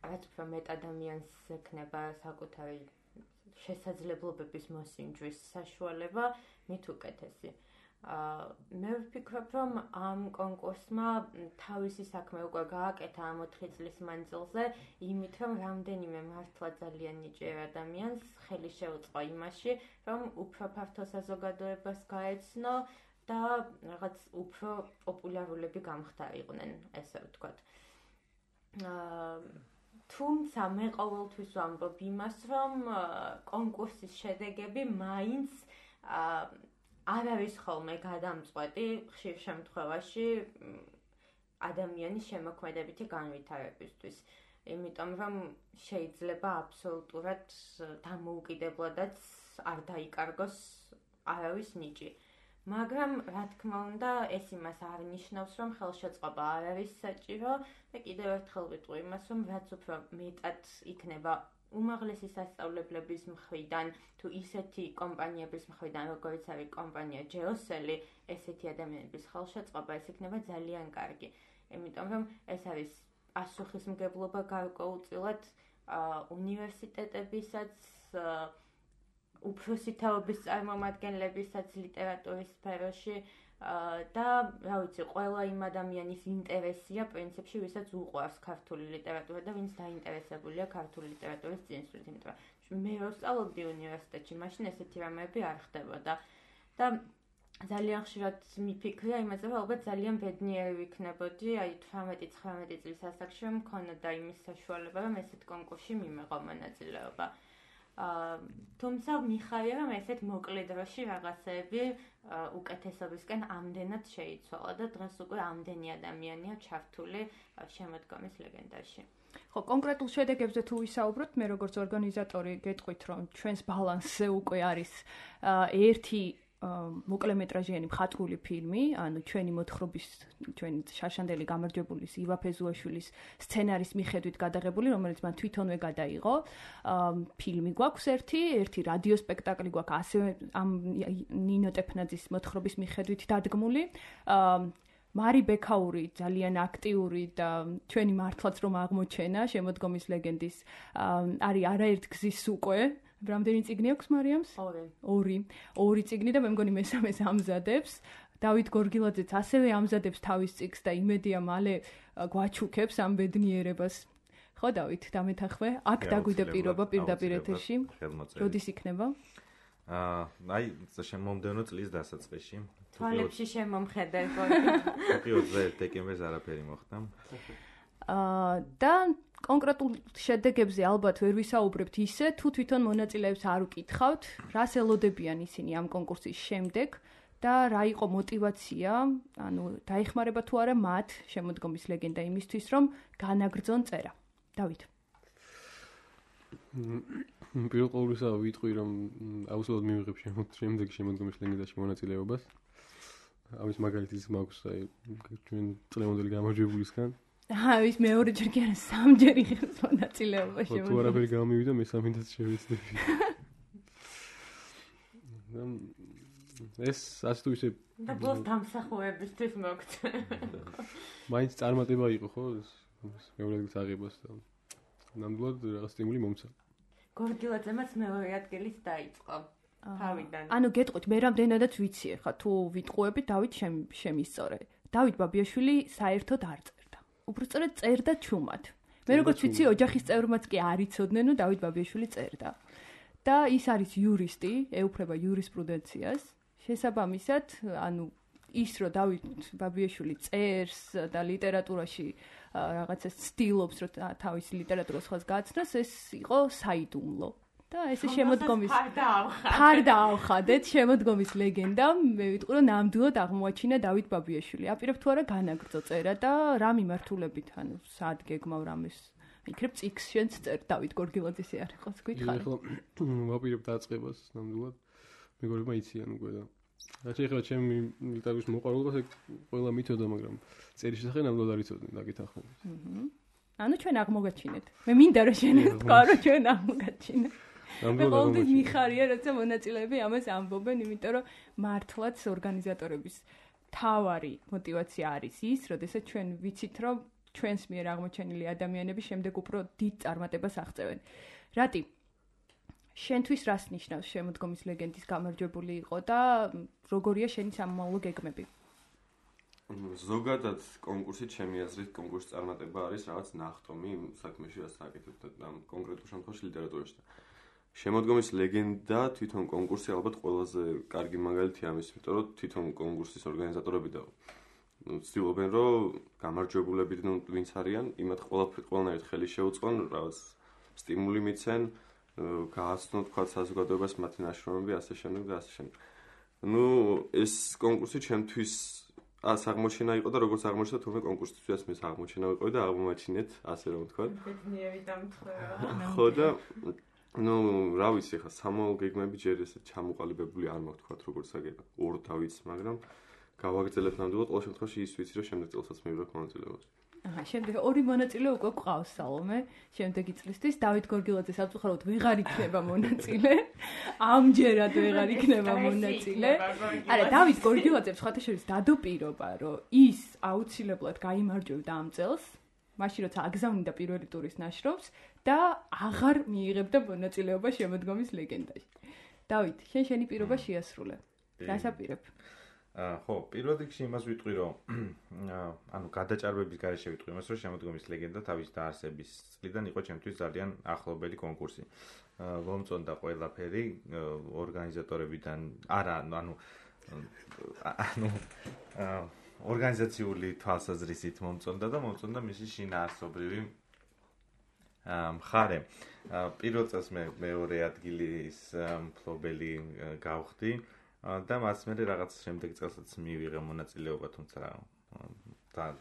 რაც უფრო მეტ ადამიანს ექნება საკუთარი შესაძლებლობების მოსინჯვის საშუალება, მით უკეთესი. მე ვფიქრობ, რომ ამ კონკურსმა თავისი საქმე უკვე გააკეთა ამ ოთხი წლის მანძილზე, იმით რომ რამდენიმე მართლა ძალიან ნიჭიერ ადამიანს ხელი შეუწყო იმაში, რომ უფრო ფართო საზოგადოებას გაეცნო და რაღაც უფრო პოპულარულები გამხდარიყვნენ, ესე ვთქვათ. თუმცა მე ყოველთვის ვამბობ იმას, რომ კონკურსის შედეგები მაინც არ არის ხოლმე გადამწყვეტი ხშირ შემთხვევაში ადამიანის შემოქმედებითი განვითარებისთვის. იმიტომ რომ შეიძლება აბსოლუტურად დამოუკიდებლადაც არ დაიკარგოს არავის ნიჭი. მაგრამ რა თქმა უნდა ეს იმას არ ნიშნავს რომ ხელშეწყობა არ არის საჭირო და კიდევ ერთხელ ვიტყვი იმას რომ რაც უფრო მეტად იქნება უმაღლესი სასწავლებლების მხრიდან თუ ისეთი კომპანიების მხრიდან როგორც არის კომპანია ჯეოსელი ესეთი ადამიანების ხელშეწყობა ეს იქნება ძალიან კარგი იმიტომ რომ ეს არის პასუხისმგებლობა გარკვეულწილად უნივერსიტეტებისაც უფროსი თაობის წარმომადგენლებისაც ლიტერატურის სფეროში და რა ვიცი ყველა იმ ადამიანის ინტერესია პრინციპში ვისაც უყვარს ქართული ლიტერატურა და ვინც დაინტერესებულია ქართული ლიტერატურის წინსვლით იმიტომ რომ მე რო ვსწავლობდი უნივერსიტეტში მაშინ ესეთი რამეები არ ხდებოდა და ძალიან ხშირად მიფიქრია იმაზე რომ ალბათ ძალიან ბედნიერი ვიქნებოდი აი თვრამეტი ცხრამეტი წლის ასაკში რომ მქონოდა იმის საშუალება რომ ესეთ კონკურსში მიმეღო მონაწილეობა თუმცა მიხარია რომ ესეთ მოკლე დროში რაღაცეები უკეთესობისკენ ამდენად შეიცვალა და დღეს უკვე ამდენი ადამიანია ჩართული შემოდგომის ლეგენდაში. ხო, კონკრეტულ შედეგებზე თუ ვისაუბროთ, მე როგორც ორგანიზატორი გეტყვით რომ ჩვენს ბალანსზე უკვე არის ერთი მოკლემეტრაჟიანი მხატვრული ფილმი, ანუ ჩვენი მოთხრობის, ჩვენი შარშანდელი გამარჯვებულის ივა ფეზუაშვილის სცენარის მიხედვით გადაღებული, რომელიც მან თვითონვე გადაიღო. ფილმი გვაქვს ერთი, ერთი რადიო სპექტაკლი გვაქვს ასევე ამ ნინო ტეფნაძის მოთხრობის მიხედვით დადგმული. მარი ბექაური ძალიან აქტიური და ჩვენი მართლაც რომ აღმოჩენა შემოდგომის ლეგენდის არის არაერთ გზის უკვე რამდენი წიგნი აქვს მარიამს? ორი. ორი. ორი წიგნი და მე მგონი მესამეს ამზადებს. დავით გორგილაძეც ასევე ამზადებს თავის წიგნს და იმედია მალე გვაჩუქებს ამ ბედნიერებას. ხო დავით, დამეთახვე? აქ დაგვიდე პირობა პირდაპირ ეთერში. როდის იქნება? აა, აი, შემომდევნო წლის დასაწყისში. თვალებში შემომხედე. თუკი ოცდაერთი დეკემბერს არაფერი მოხდა. აა, და კონკრეტულ შედეგებზე ალბათ ვერ ვისაუბრებთ ისე, თუ თვითონ მონაწილეებს არ უკითხავთ, რას ელოდებიან ისინი ამ კონკურსის შემდეგ და რა იყო мотиваცია, ანუ დაიხმარება თუ არა მათ შემოდგომის ლეგენდა იმისთვის, რომ განაგრძონ წერა. დავით. პირველ ყოვლისა ვიტყვი, რომ აუცილებლად მივიღებ შემდეგ შემოდგომის ლეგენდაში მონაწილეობას. ამის მაგალითიც მაქვს აი ჩვენ წლევანდელი გამარჯვებულისგან. აა, ის მეორეჯერ კი არა, სამჯერ იღებს მონაწილეობა შემოდგომაში. თუ არაფერი გამივიდა, მესამედაც შევეცდები. ეს ასე თუ ისე და ბოლოს დამსახურებისთვის მოგწე. მაინც წარმატება იყო, ხო? ეს მეორე ადგილს აღებას და ნამდვილად რაღაც სტიმული მომცა. გორგილაძემაც მეორე ადგილით დაიწყო. თავიდან. ანუ გეტყვით, მე რამდენადაც ვიცი ხა, თუ ვიტყუები დავით შემისწორე. დავით ბაბიაშვილი საერთოდ არ წერდა. უბრალოდ წერდა ჩუმად. მე როგორც ვიცი, ოჯახის წევრმაც კი არ იცოდნენ, რომ დავით ბაბიაშვილი წერდა. და ის არის იურისტი, ეუფლება იურისპრუდენციას. შესაბამისად, ანუ ის რომ დავით ბაბიაშვილი წერს და ლიტერატურაში რაღაცა ცდილობს, რომ თავის ლიტერატურას ხალხს გააცნოს, ეს იყო საიდუმლო. და ესე შემოდგომის ფარ დაავხადეთ შემოდგომის ლეგენდა, მე ვიტყვი რომ ნამდვილად აღმოაჩინა დავით ბაბიაშვილი. აპირებ თუ არა განაგრძო წერა და რა მიმართულებით, ანუ სად გეგმავ რამეს იქნებ წიგს შენც წერ დავით გორგილაძის არ იყოს გითხარი. ეხლა ვაპირებ დაწყებას ნამდვილად. მეგობრებმა იციან უკვე და რაც ეხლა ჩემი ლიტერატურის მოყვარულობას ყველა მითოდა, მაგრამ წერის შესახებ ნამდვილად არ იცოდნენ დაგეთანხმებით. აჰა. ანუ ჩვენ აღმოგაჩინეთ. მე მინდა რომ შენ ეს თქვა რომ ჩვენ აღმოგაჩინეთ. მე ყოველთვის მიხარია, როცა მონაწილეები ამას ამბობენ, იმიტომ რომ მართლაც ორგანიზატორების თავარი мотиваცია არის ის, როდესაც ჩვენ ვიცით, რომ ჩვენს მიერ აღმოჩენილი ადამიანები შემდეგ უფრო დიდ წარმატებას აღწევენ. რატი შენთვის რას ნიშნავს შემოდგომის ლეგენდის გამარჯვებული იყო და როგორია შენი სამომავლო გეგმები? ზოგადად კონკურსით ჩემი აზრით კონკურსის წარმატება არის რაღაც ნახტომი საქმეში, რაც აკეთებთ ამ კონკრეტულ შემთხვევაში ლიტერატურაში. შემოდგომის ლეგენდა თვითონ კონკურსი ალბათ ყველაზე კარგი მაგალითია ამის, იმიტომ რომ თვითონ კონკურსის ორგანიზატორები და ცდილობენ რომ გამარჯვებულები ვინც არიან, იმათ ყველანაირად ხელი შეუწყონ, რაღაც სტიმული მიცენ, გააცნონ თქვა საზოგადოებას მათი ნაშრომები, ასე შემდეგ და ასე შემდეგ. ნუ ეს კონკურსი ჩემთვის ას აღმოჩენა იყო და როგორც აღმოჩნდა თურმე კონკურსისთვისაც მე აღმოჩენა იყო და აღმოაჩინეთ, ასე რომ ვთქვა. ბედნიერი დამთხოვა. ხო და ნუ რა ვიცი ხა სამოალ გეგმები ჯერ ესე ჩამოყალიბებული არ მაქვს თქვა როგორც აგება ორ დავიც მაგრამ გავაგრძელებ ნამდვილად ყოველ შემთხვევაში ის ვიცი რომ შემდეგ წელსაც მივიღებ მონაწილეობას აჰა შემდეგ ორი მონაწილე უკვე გვყავს სალომე შემდეგი წლისთვის დავით გორგილაძე სამწუხაროდ ვეღარ იქნება მონაწილე ამჯერად ვეღარ იქნება მონაწილე არა დავით გორგილაძემ სხვათა შორის დადო პირობა რომ ის აუცილებლად გაიმარჯვებდა ამ წელს მაშინ როცა აგზავნიდა პირველი ტურის ნაშრომს და აღარ მიიღებდა მონაწილეობა შემოდგომის ლეგენდაში. დავით, შენ შენი პირობა შეასრულე. დასაპირებ. აა ხო, პირველ რიგში იმას ვიტყვი, რომ ანუ გადაჭარბების გარეშე ვიტყვი იმას, რომ შემოდგომის ლეგენდა თავის დაარსების წლიდან იყო ჩემთვის ძალიან ახლობელი კონკურსი. აა მომწონდა ყველაფერი ორგანიზატორებიდან, არა, ანუ ანუ აა ორგანიზაციული თვალსაზრისით მომწონდა და მომწონდა მისი შინაარსობრივი მხარე. პირველ წელს მე მეორე ადგილის მფლობელი გავხდი და მას მერე რაღაც შემდეგ წელსაც მივიღე მონაწილეობა, თუმცა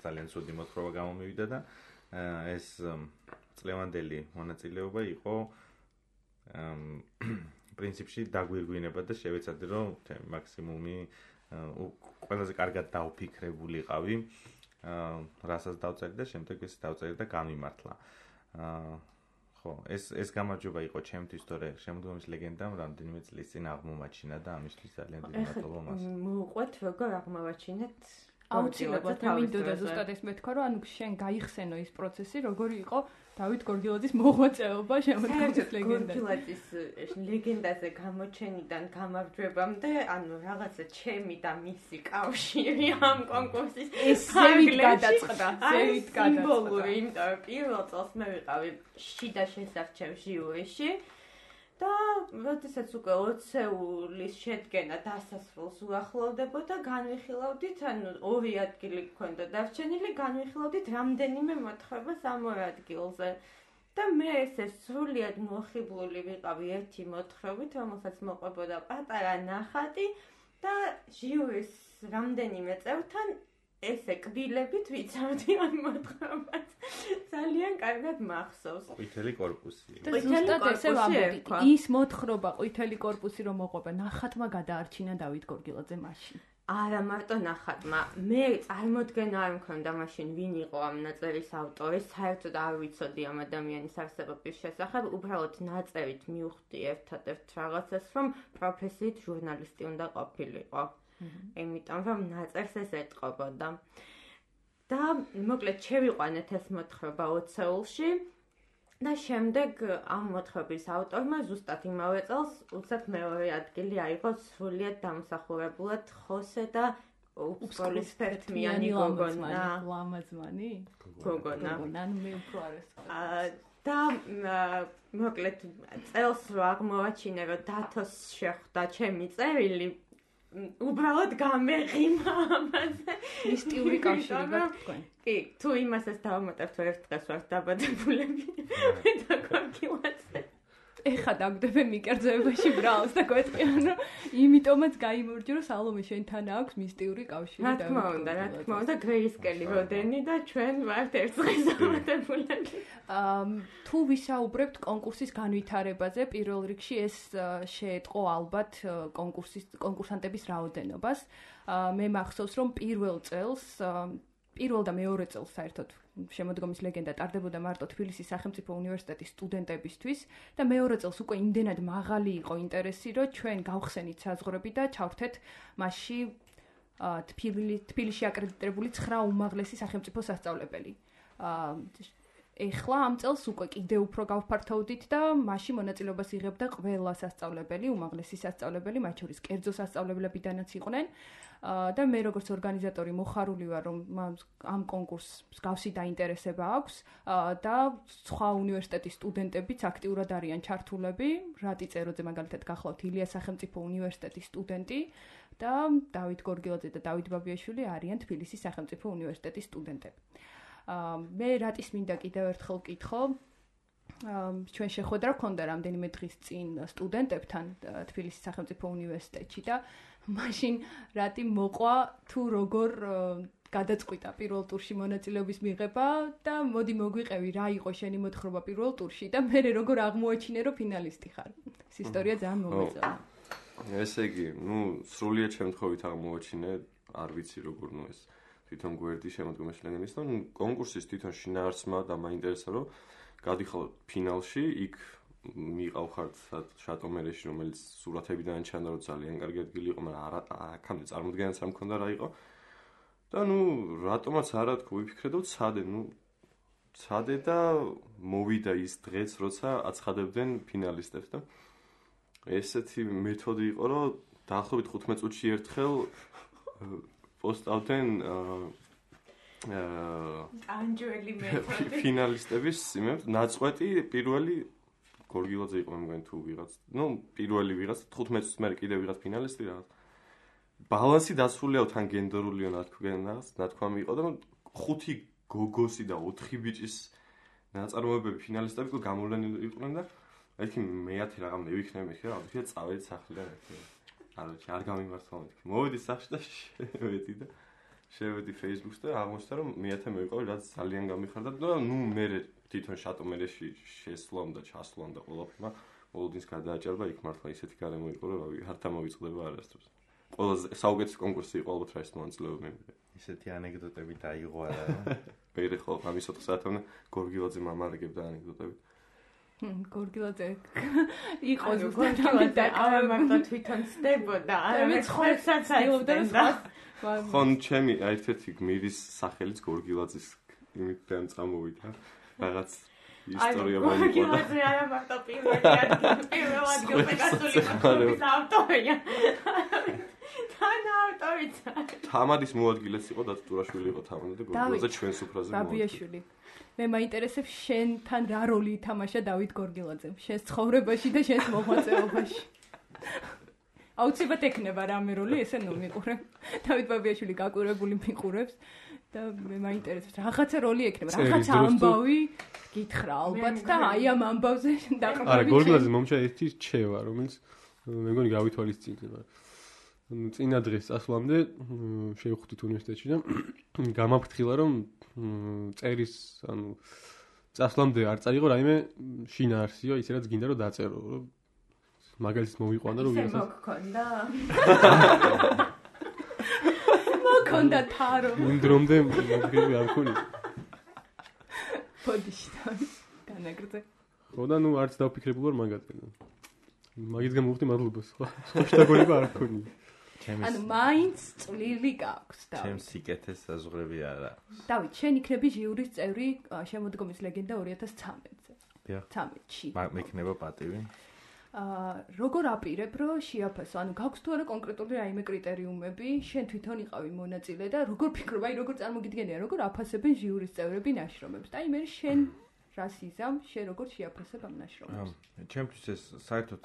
ძალიან ცუდი მოთხრობა გამომივიდა და ეს წლევანდელი მონაწილეობა იყო პრინციპში დაგვირგვინება და შევეცადე რომ მაქსიმუმი ყველაზე კარგად დავფიქრებულიყავი, რასაც დავწერდი და შემდეგ ეს დავწერდი და გამიმართლა. ხო, ეს ეს გამარჯვება იყო ჩემთვის, თორე შემდგომის ლეგენდამ რამდენიმე წლის წინ აღმომაჩინა და ამისთვის ძალიან დიდი მადლობა მას. მოუყვეთ როგორ აღმოვაჩინეთ? აუცილებლად მინდოდა ზუსტად ეს მეთქვა, რომ ანუ შენ გაიხსენო ის პროცესი, როგორი იყო დავით გორგილაძის მოღვაწეობა შემოდგომის ლეგენდაში. გორგილაძის ლეგენდაზე გამოჩენიდან გამარჯვებამდე, ანუ რაღაცა ჩემი და მისი კავშირი ამ კონკურსის ზევით გადაწყდა, ზევით გადაწყდა. სიმბოლური, იმიტომ რომ პირველ წელს მე ვიყავი შიდა შესარჩევ ჟიურიში. და როდესაც უკვე ოცეულის შედგენა დასასრულს უახლოვდებოდა, განვიხილავდით, ანუ ორი ადგილი გვქონდა დარჩენილი, განვიხილავდით რამდენიმე მოთხრობას ამ ორ ადგილზე. და მე ესე სრულიად მოხიბლული ვიყავი ერთი მოთხრობით, რომელსაც მოყვებოდა პატარა ნახატი და ჟიურის რამდენიმე წევრთან ესე კბილებით ვიცავდი ამ მოთხრობას. ძალიან კარგად მახსოვს. ყვითელი კორპუსი. ზუსტად ესე ვამბობთ. ის მოთხრობა ყვითელი კორპუსი რომ მოყვება, ნახატმა გადაარჩინა დავით გორგილაძე მაშინ. არა მარტო ნახატმა, მე წარმოდგენა არ მქონდა მაშინ ვინ იყო ამ ნაწერის ავტორი, საერთოდ არ ვიცოდი ამ ადამიანის არსებობის შესახებ, უბრალოდ ნაწერით მივხვდი ერთადერთ რაღაცას, რომ პროფესიით ჟურნალისტი უნდა ყოფილიყო. იმიტომ რომ ნაწერს ეს ეტყობოდა. და მოკლედ შევიყვანეთ ეს მოთხრობა ოცეულში და შემდეგ ამ მოთხრობის ავტორმა ზუსტად იმავე წელს უცებ მეორე ადგილი აიღო სრულიად დამსახურებულად ხოსე და უფსკოლის ფერთმიანი გოგონა. ლამაზმანი? გოგონა. ანუ მე უფრო არის. და მოკლედ წელს რო აღმოვაჩინე რომ დათოს შეხვდა ჩემი წერილი უბრალოდ გამეღიმა ამაზე. მისტიური კავშირი გაქვთ თქვენ? კი, თუ იმასაც დავამატებთ ერთ დღეს ვარ დაბადებულები. მე და გორგილაძე. ეხა დაგვდები მიკერძოებაში ბრალს და გვეტყვიან რომ იმიტომაც გაიმორჯო რომ სალომე შენთან აქვს მისტიური კავშირი და რა თქმა უნდა, რა თქმა უნდა გრეისკელი როდენი და ჩვენ ვართ ერთ დღეს დაბადებულები. აა თუ ვისაუბრებთ კონკურსის განვითარებაზე, პირველ რიგში ეს შეეტყო ალბათ კონკურსის კონკურსანტების რაოდენობას. მე მახსოვს რომ პირველ წელს პირველ და მეორე წელს საერთოდ შემოდგომის ლეგენდა ტარდებოდა მარტო თბილისის სახელმწიფო უნივერსიტეტის სტუდენტებისთვის და მეორე წელს უკვე იმდენად მაღალი იყო ინტერესი, რომ ჩვენ გავხსენით საზღვრები და ჩავრთეთ მასში თბილისში აკრედიტებული ცხრა უმაღლესი სახელმწიფო სასწავლებელი. ეხლა ამ წელს უკვე კიდევ უფრო გავფართოვდით და მასში მონაწილეობას იღებდა ყველა სასწავლებელი, უმაღლესი სასწავლებელი, მათ შორის კერძო სასწავლებლებიდანაც იყვნენ. და მე როგორც ორგანიზატორი მოხარული ვარ რომ ამ კონკურსს მსგავსი დაინტერესება აქვს და სხვა უნივერსიტეტის სტუდენტებიც აქტიურად არიან ჩართულები. რატი წეროძე მაგალითად გახლავთ ილიას სახელმწიფო უნივერსიტეტის სტუდენტი და დავით გორგილაძე და დავით ბაბიაშვილი არიან თბილისის სახელმწიფო უნივერსიტეტის სტუდენტები. მე რატის მინდა კიდევ ერთხელ ვკითხო, ჩვენ შეხვედრა გქონდა რამდენიმე დღის წინ სტუდენტებთან თბილისის სახელმწიფო უნივერსიტეტში და მაშინ რატი მოყვა თუ როგორ გადაწყვიტა პირველ ტურში მონაწილეობის მიღება და მოდი მოგვიყევი რა იყო შენი მოთხრობა პირველ ტურში და მე როგორ აღმოაჩინე რომ ფინალისტი ხარ. ეს ისტორია ძალიან მომეწონა. ესე იგი, ну, სრულიად შემთხვევით აღმოაჩინე, არ ვიცი როგორ ნუ ეს თვითონ გვერდი შემოდგომაში ლეგენდის და კონკურსის თვითონ შინაარსმა და მაინტერესა რომ გადიხარ ფინალში, იქ მიყავხართ შატომერეში, რომელიც სურათებიდან ჩანდა რომ ძალიან კარგი ადგილი იყო, მაგრამ არა აქამდე წარმოდგენაც არ მქონდა რა იყო. და ну, რატომაც არა თქო, ვიფიქრე და ვცადე, ну, ცადე და მოვიდა ის დღეც, როცა აცხადებდნენ ფინალისტებს და ესეთი მეთოდი იყო, რომ დაახლოებით ხუთმეტ წუთში ერთხელ პოსტავდნენ ანჯელი მეთოდი ფინალისტების იმებს ნაწყვეტი პირველი გორგილაძე იყო მგონი თუ ვიღაც ნუ პირველი ვიღაც თხუთმეტ წუთს მერე კიდე ვიღაც ფინალისტი რაღაც ბალანსი დასრულიაო თან გენდერულიო ნათქვამს ნათქვამი იყო და ხუთი გოგოსი და ოთხი ბიჭის ნაწარმოებები ფინალისტები თუ გამოვლენილი იყვნენ და ერთი მეათე რაღაცა მივიქნები ხე რა ვთქვი წავედი სახლიდან ერთი არაჩი არ გამიმართლა მეთქი მოვედი სახლში და შევედი და შევედი Facebook-ს და აღმოჩნდა რომ მეათე მევიყავი რაც ძალიან გამიხარდა და ნუ მე თვითონ შატომერეში შესვლამ და ჩასვლამ და ყველაფერმა მოლოდინს გადააჭარბა იქ მართლა ისეთი გარემო იყო რომ რავი არ დამოვიწყდება არასდროს ყველაზე საუკეთესო კონკურსი იყო ალბათ რა ის მონაწილეობა მე ისეთი ანეკდოტები დაიღო არა ვერე ხო ამის ოთხ საათამდე გორგილაძე მამარიგებდა ანეკდოტები გორგილაძე იყო ზუსტად და არა მარტო თვითონ ცდებოდა არა ცხელსაც აიობდა ხონ ჩემი ერთ-ერთი გმირის სახელიც გორგილაძის იმით დამწამოვიდა რაღაც ისტორია მოიყვა გორგილაძე არა მარტო პირველი ადგილი პირველ ადგილზე გასული მოთხოვნის ავტორია თან ავტორიც თამადის მოადგილეც იყო დათურაშვილი იყო თამადი და გორგილაძე ჩვენს უფრაზე ბაბიაშვილი მე მაინტერესებს შენთან რა როლი ითამაშა დავით გორგილაძემ შენს ცხოვრებაში და შენს მოღვაწეობაში აუცილებლად ექნება რამე როლი ესე ნუ მიყურებ დავით ბაბიაშვილი გაკურებული მიყურებს და მე მაინტერესებს რაღაცა როლი ექნება რაღაცა ამბავი გითხრა ალბათ და აი ამ ამბავზე დაყრდნობით არა გორგილაძე მომჩა ერთი რჩევა რომელიც მე მგონი გავითვალისწინდება წინა დღეს წასვლამდე შევხვდით უნივერსიტეტში და გამაფრთხილა რომ წერის ანუ წასვლამდე არ წაიღო რაიმე შინაარსიო ისე რაც გინდა რომ დაწერო რომ მაგალითს მოვიყვანა რომ ვიღაცა მოგქონდა მოგქონდა თარო იმ დრომდე მოგები არ მქონი პოდიშთან განაგრძე ხო და ნუ არც დავფიქრებულ ვარ მაგაზე მაგის გამო ვხდი მადლობა სხვა შეტაკონება არ მქონი ანუ მაინც წვლილი გაქვს და ჩემს სიკეთეს საზღვრები არა დავით შენ იქნები ჟიურის წევრი შემოდგომის ლეგენდა ორი ათას ცხრამეტზე დიახ ცხრამეტში მექნება პატივი აა როგორ აპირებ რომ შეაფასო ანუ გაქვს თუ არა კონკრეტული რაიმე კრიტერიუმები შენ თვითონ იყავი მონაწილე და როგორ ფიქრობ აი როგორ წარმოგიდგენია როგორ აფასებენ ჟიურის წევრები ნაშრომებს და აი მე შენ რას იზამ შენ როგორ შეაფასებ ამ ნაშრომებს ჩემთვის ეს საერთოდ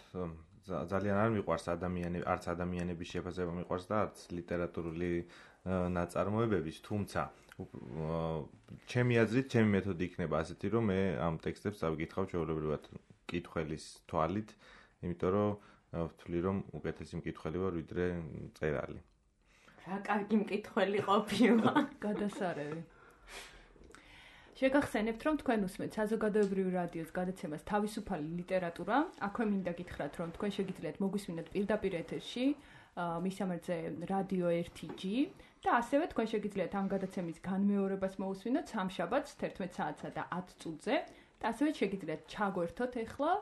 ძალიან არ მიყვარს ადამიანები არც ადამიანების შეფასება მიყვარს და არც ლიტერატურული ნაწარმოებების თუმცა ჩემი აზრით ჩემი მეთოდი იქნება ასეთი რომ მე ამ ტექსტებს წავიკითხავ ჩვეულებრივად კითხველის თვალით იმიტომ რომ ვთვლი რომ უკეთესი მკითხველი ვარ ვიდრე წერალი რა კარგი მკითხველი ყოფილა გადასარევი შეგახსენებთ რომ თქვენ უსმენთ საზოგადოებრივი რადიოს გადაცემას თავისუფალი ლიტერატურა აქვე მინდა გითხრათ რომ თქვენ შეგიძლიათ მოგვისმინოთ პირდაპირ ეთერში მისამერძე რადიო ერთი ჯი და ასევე თქვენ შეგიძლიათ ამ გადაცემის განმეორებას მოусმინოთ სამშაბათს თერთმეტ საათსა და ათ წუთზე და ასევე შეგიძლიათ ჩაგვერთოთ ახლა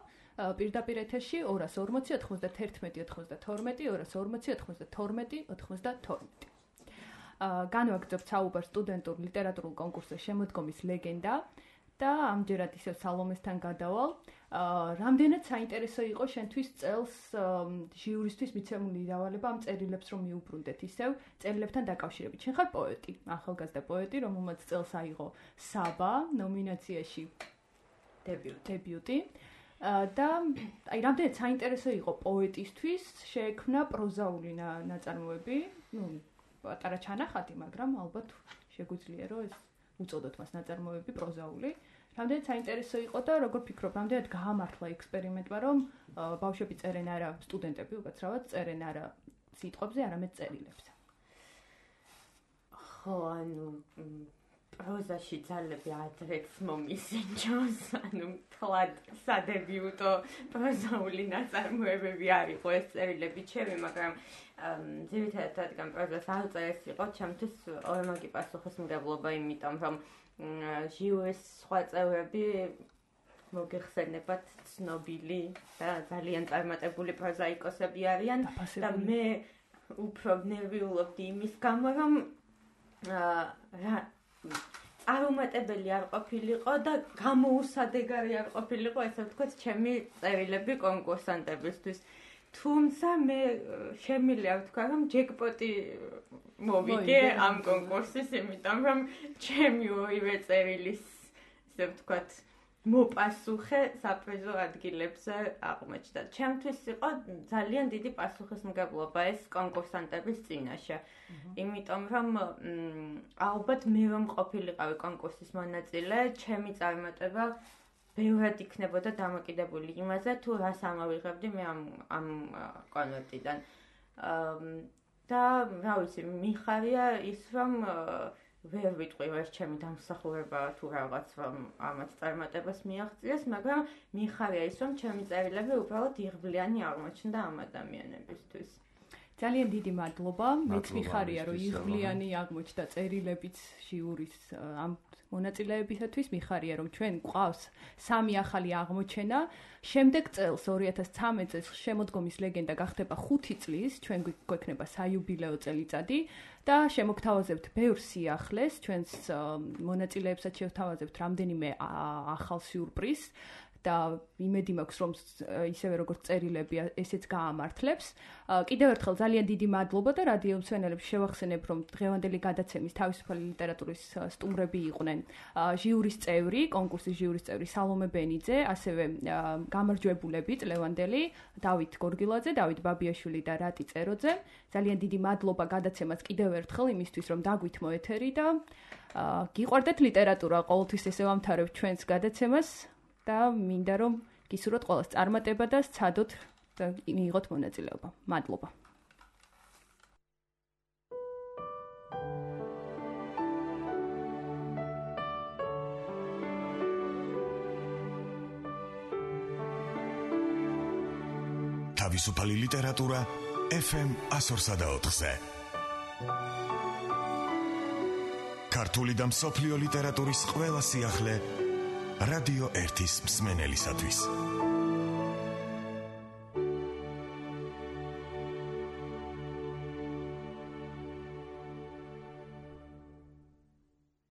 პირდაპირ ეთერში ორას ორმოცი ოცდაათი ოცდათორმეტი ორას ორმოცი ოცდათორმეტი ოცდათორმეტი განვაგრძობთ საუბარს სტუდენტურ ლიტერატურულ კონკურსზე შემოდგომის ლეგენდა და ამჯერად ისევ სალომესთან გადავალ. რამდენად საინტერესო იყო შენთვის წელს ჟიურისთვის მიცემული დავალება ამ წერილებს რომ მიუბრუნდეთ ისევ წერილებთან დაკავშირებით. შენ ხარ პოეტი, ახალგაზრდა პოეტი, რომელმაც წელს აიღო საბა ნომინაციაში დებიუტი. და აი რამდენად საინტერესო იყო პოეტისთვის შეექმნა პროზაული ნაწარმოები, ну პატარა ჩანახატი, მაგრამ ალბათ შეგვიძლია რომ ეს უწოდოთ მას ნაწარმოები პროზაული. რამდენად საინტერესო იყო და როგორ ფიქრობ, რამდენად გაამართლა ექსპერიმენტმა, რომ ბავშვები წერენ არა სტუდენტები უკაცრავად წერენ არა სიტყვებზე, არამედ წერილებზე. ხო, ანუ პროზაში ძალები ადრეც მომისინჯოს, ანუ თლად სადებიუტო პროზაული ნაწარმოებები არ იყო ეს წერილები ჩემი, მაგრამ ძირითადად რადგან პროზას არ წერეს იყო, ჩემთვის ორმაგი პასუხისმგებლობა, იმიტომ რომ ჟიურის სხვა წევრები მოგეხსენებათ ცნობილი და ძალიან წარმატებული პროზაიკოსები არიან და მე უფრო ნერვიულობდი იმის გამო, რომ რა არუმატებელი არ ყოფილიყო და გამოუსადეგარი არ ყოფილიყო, ესე ვთქვათ, ჩემი წერილები კონკურსანტებისთვის. თუმცა მე შემიძლია ვთქვა, რომ ჯეკპოტი მოვიგე ამ კონკურსის, იმიტომ რომ ჩემი ორივე წერილის, ესე ვთქვათ, მოპასუხე საპრიზო ადგილებზე აღმოჩნდა. ჩემთვის იყო ძალიან დიდი პასუხისმგებლობა ეს კონკურსანტების წინაშე. იმიტომ რომ ალბათ მე რომ ყოფილიყავი კონკურსის მონაწილე, ჩემი წარმატება ბევრად იქნებოდა დამოკიდებული იმაზე, თუ რას ამოვიღებდი მე ამ ამ კონვერტიდან. და რა ვიცი, მიხარია ის რომ ვერ ვიტყვი ეს ჩემი დამსახურება თუ რაღაც რომ ამათ წარმატებას მიაღწიეს, მაგრამ მიხარია ის რომ ჩემი წერილები უბრალოდ იღბლიანი აღმოჩნდა ამ ადამიანებისთვის. ძალიან დიდი მადლობა. მეც მიხარია რომ იღბლიანი აღმოჩნდა წერილებიც ჟიურის ამ მონაწილეებისათვის, მიხარია რომ ჩვენ გვყავს სამი ახალი აღმოჩენა. შემდეგ წელს ორი ათას ცხრამეტ წელს შემოდგომის ლეგენდა გახდება ხუთი წლის, ჩვენ გვექნება საიუბილეო წელიწადი და შემოგთავაზებთ ბევრ სიახლეს, ჩვენს მონაწილეებსაც შევთავაზებთ რამდენიმე ახალ სიურპრიზს და იმედი მაქვს რომ ისევე როგორც წერილები ესეც გაამართლებს. კიდევ ერთხელ ძალიან დიდი მადლობა და რადიო მსმენელებს შევახსენებ რომ დღევანდელი გადაცემის თავისუფალი ლიტერატურის სტუმრები იყვნენ ჟიურის წევრი, კონკურსის ჟიურის წევრი სალომე ბენიძე, ასევე გამარჯვებულები წლევანდელი დავით გორგილაძე, დავით ბაბიაშვილი და რატი წეროძე. ძალიან დიდი მადლობა გადაცემას კიდევ ერთხელ იმისთვის რომ დაგვითმო ეთერი და გიყვარდეთ ლიტერატურა, ყოველთვის ესე ვამთავრებ ჩვენს გადაცემას. და მინდა რომ გისურვოთ ყველას წარმატება და სცადოთ და მიიღოთ მონაწილეობა. მადლობა. თავისუფალი ლიტერატურა ეფ ემ ასორსა და ოთხზე. ქართული და მსოფლიო ლიტერატურის ყველა სიახლე რადიო ერთის მსმენელისათვის.